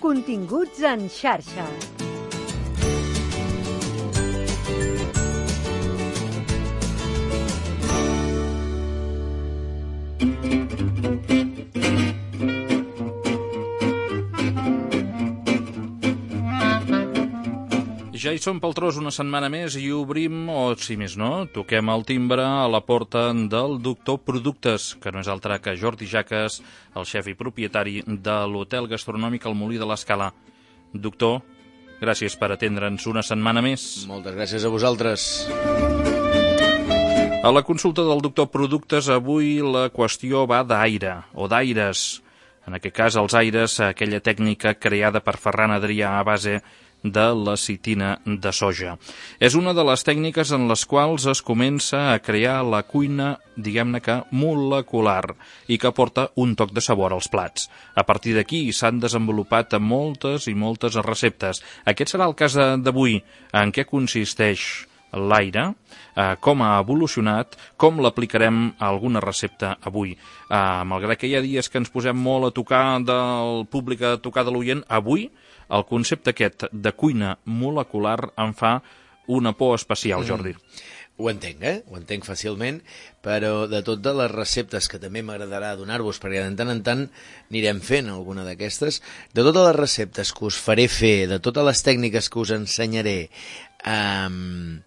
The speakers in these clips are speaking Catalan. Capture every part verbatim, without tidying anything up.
Continguts en xarxa. Ja hi som pel tros una setmana més i obrim, o si més no, toquem el timbre a la porta del doctor Productes, que no és altre que Jordi Jaques, el xef i propietari de l'hotel gastronòmic El Molí de l'Escala. Doctor, gràcies per atendre'ns una setmana més. Moltes gràcies a vosaltres. A la consulta del doctor Productes avui la qüestió va d'aire, o d'aires. En aquest cas, els aires, aquella tècnica creada per Ferran Adrià a base de la citina de soja. És una de les tècniques en les quals es comença a crear la cuina, diguem-ne que molecular, i que aporta un toc de sabor als plats. A partir d'aquí s'han desenvolupat moltes i moltes receptes. Aquest serà el cas d'avui. En què consisteix l'aire, eh, com ha evolucionat, com l'aplicarem a alguna recepta avui. Eh, malgrat que hi ha dies que ens posem molt a tocar del públic, a tocar de l'oient, avui el concepte aquest de cuina molecular em fa una por especial, Jordi. Mm. Ho entenc, eh? Ho entenc fàcilment, però de totes les receptes que també m'agradarà donar-vos, perquè de tant en tant anirem fent alguna d'aquestes, de totes les receptes que us faré fer, de totes les tècniques que us ensenyaré, um,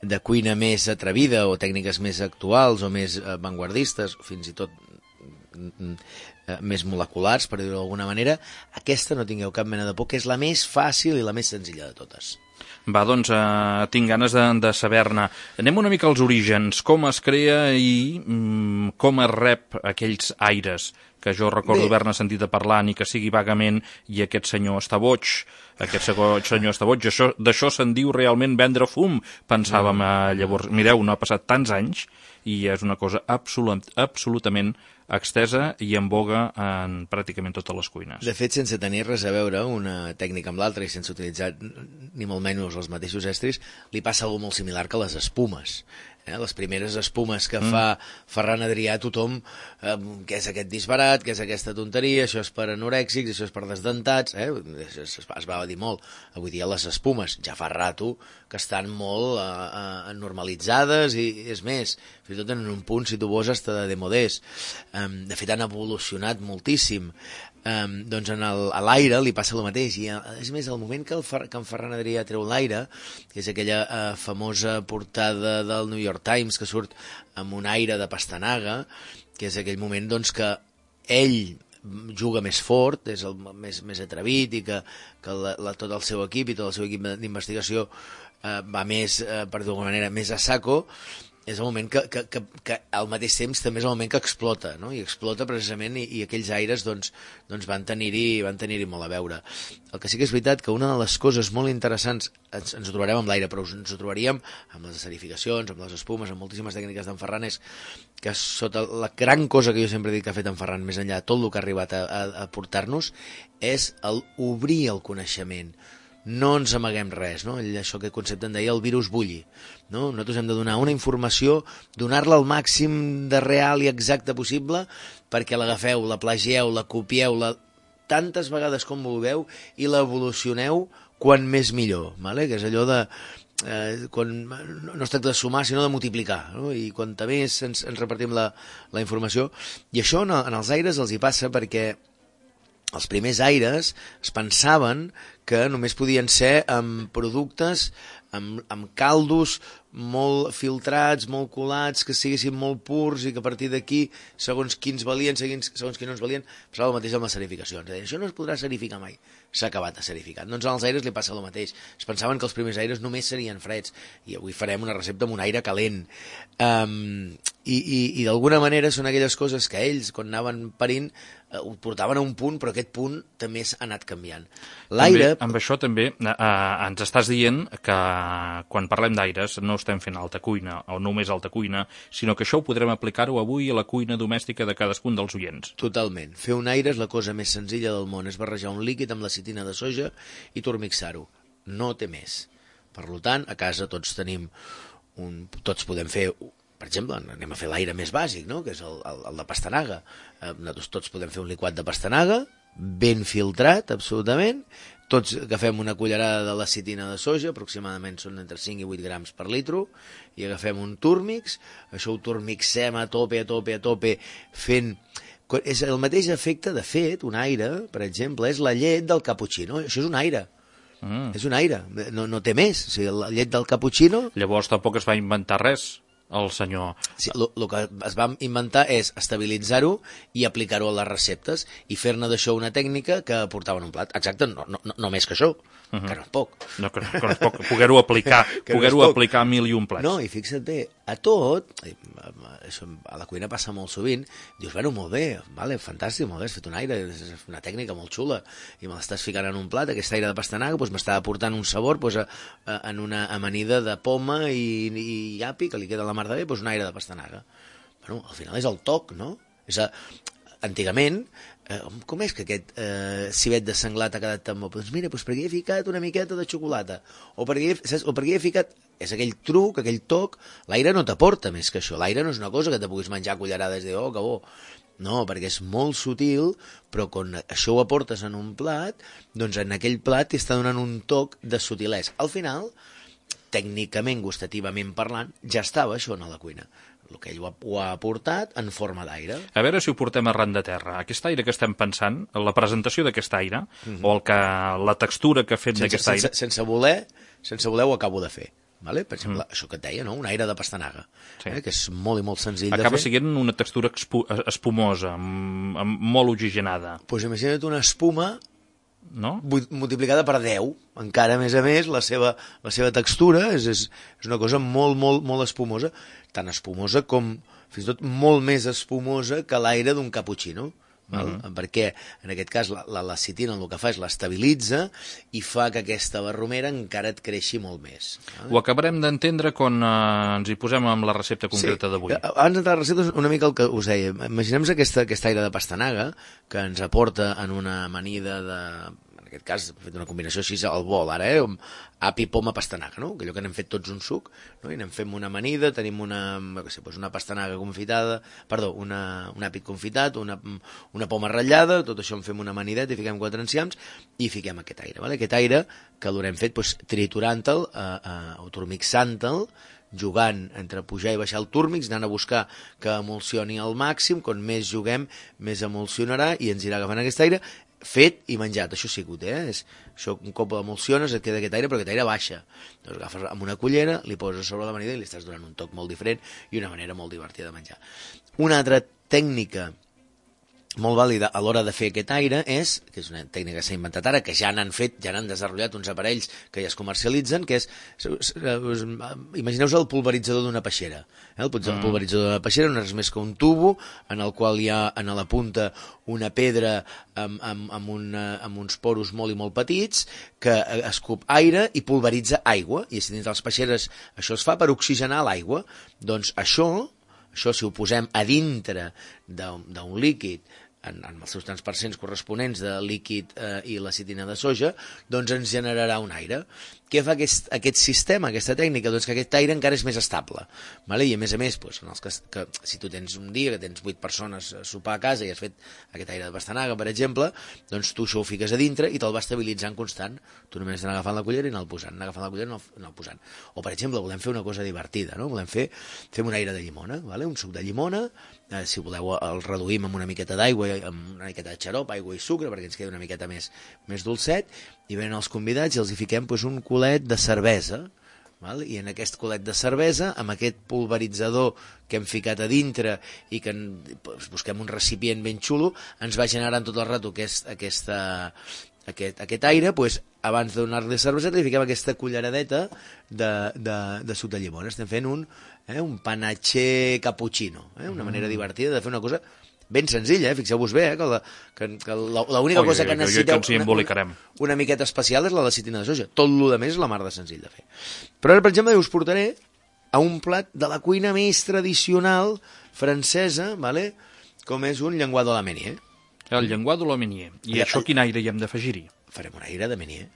de cuina més atrevida o tècniques més actuals o més avantguardistes, fins i tot més moleculars, per dir-ho d'alguna manera, aquesta no tingueu cap mena de por, que és la més fàcil i la més senzilla de totes. Va, doncs, eh, tinc ganes de, de saber-ne. Anem una mica als orígens, com es crea i mm, com es rep aquells aires, que jo recordo haver-ne sentit a parlar, ni que sigui vagament, i aquest senyor està boig, aquest senyor està boig, això, d'això se'n diu realment vendre fum, pensàvem eh, llavors. Mireu, no ha passat tants anys, i és una cosa absolut, absolutament extesa i en boga en pràcticament totes les cuines. De fet, sense tenir res a veure una tècnica amb l'altra i sense utilitzar ni molt menys els mateixos estris, li passa alguna molt similar que les espumes. Eh? Les primeres espumes que mm. fa Ferran Adrià a tothom, eh, què és aquest disbarat, què és aquesta tonteria, això és per anorèxics, això és per desdentats, eh? es, es, es va dir molt. Avui dia les espumes ja fa rato que estan molt eh, eh, normalitzades i és més, fins i tot en un punt, si tu vols, hasta de demodés. Um, de fet, han evolucionat moltíssim. Um, doncs en el, a l'aire li passa el mateix, i és més, el moment que, el, que en Ferran Adrià treu l'aire, que és aquella uh, famosa portada del New York Times que surt amb un aire de pastanaga, que és aquell moment doncs, que ell juga més fort, és el més, més atrevit, i que, que la, la, tot el seu equip i tot el seu equip d'investigació uh, va més, uh, per dir-ho d'alguna manera, més a saco. És el moment que, que, que, que al mateix temps també és el moment que explota, no? I explota precisament, i, i aquells aires doncs, doncs van tenir-hi van tenir-hi molt a veure. El que sí que és veritat que una de les coses molt interessants, ens, ens ho trobarem amb l'aire, però ens ho trobaríem amb les esterificacions, amb les espumes, amb moltíssimes tècniques d'en Ferran, és que sota la gran cosa que jo sempre he dit que ha fet en Ferran, més enllà de tot el que ha arribat a, a, a portar-nos, és el obrir el coneixement. No ens amaguem res, no? Això que concepte en deia el virus bulli, no? Nosaltres hem de donar una informació, donar-la al màxim de real i exacte possible, perquè l'agafeu, la plagieu, la copieu, la... tantes vegades com vulgueu, i l'evolucioneu quan més millor, vale? Que és allò de... Eh, quan no es tracta de sumar sinó de multiplicar, no? I quanta més ens, ens repartim la, la informació. I això en, en els aires els hi passa perquè els primers aires es pensaven que només podien ser amb productes, amb, amb caldos molt filtrats, molt colats, que siguessin molt purs i que a partir d'aquí, segons quins valien, segons, segons quins no ens valien, passava el mateix amb les serificacions. Això no es podrà serificar mai. S'ha acabat de serificar. Doncs als aires li passa el mateix. Es pensaven que els primers aires només serien freds, i avui farem una recepta amb un aire calent. Um, i i, i d'alguna manera són aquelles coses que ells, quan anaven parint, eh, ho portaven a un punt, però aquest punt també s'ha anat canviant. L'aire... També, amb això també eh, ens estàs dient que quan parlem d'aires no estem fent alta cuina, o només alta cuina, sinó que això ho podrem aplicar-ho avui a la cuina domèstica de cadascun dels oients. Totalment. Fer un aire és la cosa més senzilla del món. És barrejar un líquid amb la citina de soja i tormixar-ho. No té més. Per tant, a casa tots tenim un... tots podem fer... Per exemple, anem a fer l'aire més bàsic, no? Que és el, el, el de pastanaga. Eh, nosaltres tots podem fer un liquat de pastanaga, ben filtrat, absolutament. Tots agafem una cullerada de lecitina de soja, aproximadament són entre cinc i vuit grams per litro, i agafem un túrmix, això ho turmixem a tope, a tope, a tope, fent... És el mateix efecte, de fet, un aire, per exemple, és la llet del cappuccino, això és un aire. Mm. És un aire, no, no té més. O sigui, la llet del cappuccino... Llavors tampoc es va inventar res, el senyor... Sí, el que es va inventar és estabilitzar-ho i aplicar-ho a les receptes i fer-ne d'això una tècnica que portava en un plat. Exacte, no, no, no més que això, uh -huh. que no és poc. No, que, que no és poc, poder-ho aplicar, poder-ho no aplicar a mil i un plats. No, i fixa't bé, a tot, això a la cuina passa molt sovint, dius, bueno, molt bé, vale, fantàstic, molt bé, has fet un aire, és una tècnica molt xula, i me l'estàs ficant en un plat, aquest aire de pastanaga doncs m'està aportant un sabor doncs, a, a, en una amanida de poma i, i api, que li queda la mar de bé, doncs un aire de pastanaga. Bueno, al final és el toc, no? És a, antigament, eh, com és que aquest eh, civet de senglat ha quedat tan bo? Doncs mira, doncs perquè hi he ficat una miqueta de xocolata, o perquè, he, saps? O perquè hi he ficat... És aquell truc, aquell toc, l'aire no t'aporta més que això, l'aire no és una cosa que te puguis menjar a cullerades i dir, oh, que bo. No, perquè és molt sutil, però quan això ho aportes en un plat, doncs en aquell plat t'està donant un toc de sutilesa. Al final, tècnicament, gustativament parlant, ja estava això a la cuina. El que ell ho ha, ho ha aportat en forma d'aire. A veure si ho portem arran de terra. Aquest aire que estem pensant, la presentació d'aquest aire, mm -hmm. o el que, la textura que ha fet d'aquest aire... Sense, sense voler, sense voler ho acabo de fer. Vale? Per exemple, mm. això que et deia, no? Un aire de pastanaga, sí. eh? que és molt i molt senzill Acaba de fer. Acaba sent una textura espumosa, amb, amb molt oxigenada. Doncs pues imagina't una espuma no? multiplicada per deu. Encara, a més a més, la seva, la seva textura és, és, és una cosa molt, molt, molt espumosa. Tan espumosa com, fins i tot, molt més espumosa que l'aire d'un cappuccino. Val? Uh -huh. Perquè en aquest cas la, la lecitina el que fa és l'estabilitza i fa que aquesta barromera encara et creixi molt més. Val? Ho acabarem d'entendre quan eh, ens hi posem amb la recepta concreta sí. d'avui. Abans d'entrar a la recepta, una mica el que us deia. Imaginem aquesta, aquesta aire de pastanaga que ens aporta en una amanida de... en aquest cas, hem fet una combinació així al bol, ara, eh? Api, poma, pastanaga, no? Allò que n'hem fet tots un suc, no? I anem fent una amanida, tenim una, què sé, doncs una pastanaga confitada, perdó, una, un àpid confitat, una, una poma ratllada, tot això en fem una amanideta i fiquem quatre enciams i fiquem aquest aire, vale? Aquest aire que l'haurem fet doncs, triturant-te'l, eh, eh, o turmixant-te'l, jugant entre pujar i baixar el túrmix, anant a buscar que emulsioni al màxim, quan més juguem, més emulsionarà i ens irà agafant aquest aire, fet i menjat, això sí que eh? És, això un cop l'emulsiones et queda aquest aire, però aquest aire baixa. Doncs agafes amb una cullera, li poses sobre l'amanida i li estàs donant un toc molt diferent i una manera molt divertida de menjar. Una altra tècnica molt vàlida a l'hora de fer aquest aire és, que és una tècnica que s'ha inventat ara, que ja n'han fet, ja n'han desenvolupat uns aparells que ja es comercialitzen, que és, imagineu-vos el pulveritzador d'una peixera. Eh? El pulveritzador d'una peixera no és més que un tubo en el qual hi ha a la punta una pedra amb, amb, amb, una, amb uns poros molt i molt petits que escup aire i pulveritza aigua, i si dins de les peixeres això es fa per oxigenar l'aigua. Doncs això, això si ho posem a dintre d'un líquid en, en els seus tants percents corresponents de líquid eh, i lecitina de soja, doncs ens generarà un aire. Què fa aquest, aquest sistema, aquesta tècnica? Doncs que aquest aire encara és més estable. Vale? I a més a més, doncs, en els que, que, si tu tens un dia que tens vuit persones a sopar a casa i has fet aquest aire de pastanaga, per exemple, doncs tu això ho fiques a dintre i te'l va estabilitzant constant. Tu només anar agafant la cullera i anar posant, anar agafant la cullera i anar posant. O, per exemple, volem fer una cosa divertida, no? Volem fer, fem un aire de llimona, vale? Un suc de llimona, eh, si voleu el reduïm amb una miqueta d'aigua, amb una miqueta de xarop, aigua i sucre, perquè ens quedi una miqueta més, més dolcet, i venen els convidats i els hi fiquem doncs, un culet de cervesa, val? I en aquest culet de cervesa, amb aquest pulveritzador que hem ficat a dintre i que doncs, busquem un recipient ben xulo, ens va generant tot el rato aquest, aquesta, aquest, aquest aire, doncs, abans de donar-li cerveseta li fiquem aquesta culleradeta de, de, de suc de llimona. Estem fent un, eh, un panatxer cappuccino, eh? Una manera divertida de fer una cosa ben senzilla, eh? Fixeu-vos bé, eh? que, la, que, que l'única cosa que necessiteu que una, una, una miqueta especial és la lecitina de soja. Tot el que més és la mar de senzill de fer. Però ara, per exemple, us portaré a un plat de la cuina més tradicional francesa, vale? Com és un llenguado a la Meunier. El llenguado a la Meunier. I ja, això quin aire hi hem d'afegir-hi? Farem un aire de Meunier.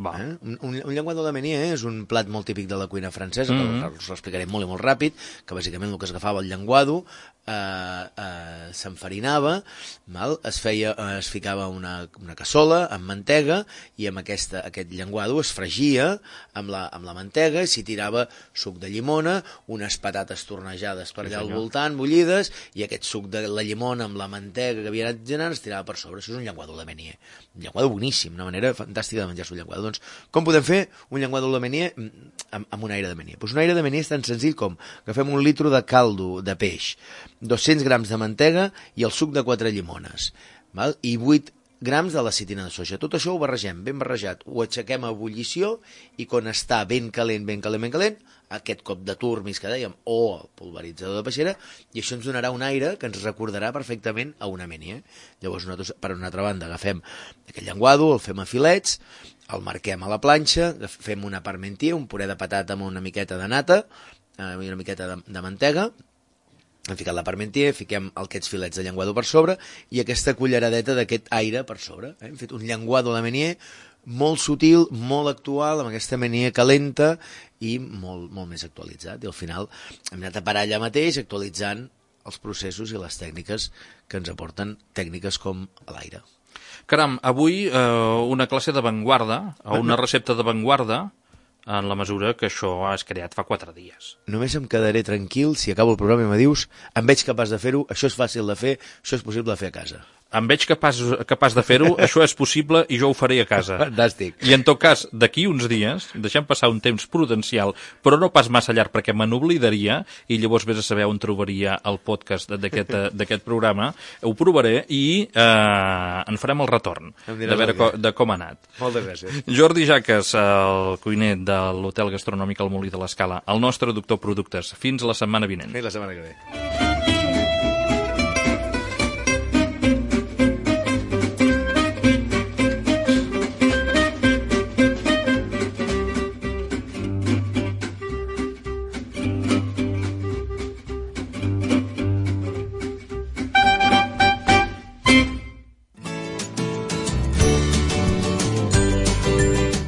Va. Eh? Un, un, un llenguado de Meunier és un plat molt típic de la cuina francesa, Mm-hmm. que us l'explicaré molt i molt ràpid, que bàsicament el que es agafava el llenguado, eh, eh, s'enfarinava, val? Es feia, eh, es ficava una, una cassola amb mantega i amb aquesta, aquest llenguado es fregia amb la, amb la mantega i s'hi tirava suc de llimona, unes patates tornejades per Sí, allà al senyor. voltant, bullides, i aquest suc de la llimona amb la mantega que havia anat generant es tirava per sobre. Això és un llenguado de Meunier. Un llenguado boníssim, una manera fantàstica de menjar-se un llenguado. Doncs, com podem fer un llenguado de Meunier amb, amb un aire de Meunier? Pues un aire de Meunier és tan senzill com agafem un litro de caldo de peix, dos-cents grams de mantega i el suc de quatre llimones, val? I vuit grams de lecitina de soja. Tot això ho barregem, ben barrejat, ho aixequem a ebullició i quan està ben calent, ben calent, ben calent, aquest cop de turmis que dèiem, o el pulveritzador de peixera, i això ens donarà un aire que ens recordarà perfectament a una Meunier. Llavors, nosaltres, per una altra banda, agafem aquest llenguado, el fem a filets, el marquem a la planxa, fem una parmentier, un puré de patata amb una miqueta de nata, eh, una miqueta de, de mantega, hem ficat la parmentier, fiquem aquests filets de llenguado per sobre i aquesta culleradeta d'aquest aire per sobre. Eh? Hem fet un llenguado de Meunier molt sutil, molt actual, amb aquesta Meunier calenta i molt, molt més actualitzat. I al final hem anat a parar allà mateix actualitzant els processos i les tècniques que ens aporten tècniques com l'aire. Caram, avui eh, una classe d'avantguarda, o una recepta d'avantguarda, en la mesura que això has creat fa quatre dies. Només em quedaré tranquil si acabo el programa i me dius em veig capaç de fer-ho, això és fàcil de fer, això és possible de fer a casa. Em veig capaç, capaç de fer-ho, això és possible i jo ho faré a casa. Fantàstic. I en tot cas, d'aquí uns dies, deixem passar un temps prudencial, però no pas massa llarg perquè me n'oblidaria i llavors vés a saber on trobaria el podcast d'aquest d'aquest programa. Ho provaré i eh, en farem el retorn de veure co, de com ha anat. Moltes gràcies. Jordi Jaques, el cuiner de l'Hotel Gastronòmic al Molí de l'Escala, el nostre doctor productes. Fins la setmana vinent. Fins la setmana que ve.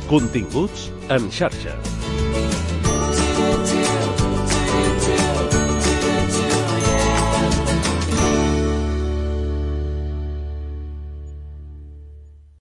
Continguts en xarxa.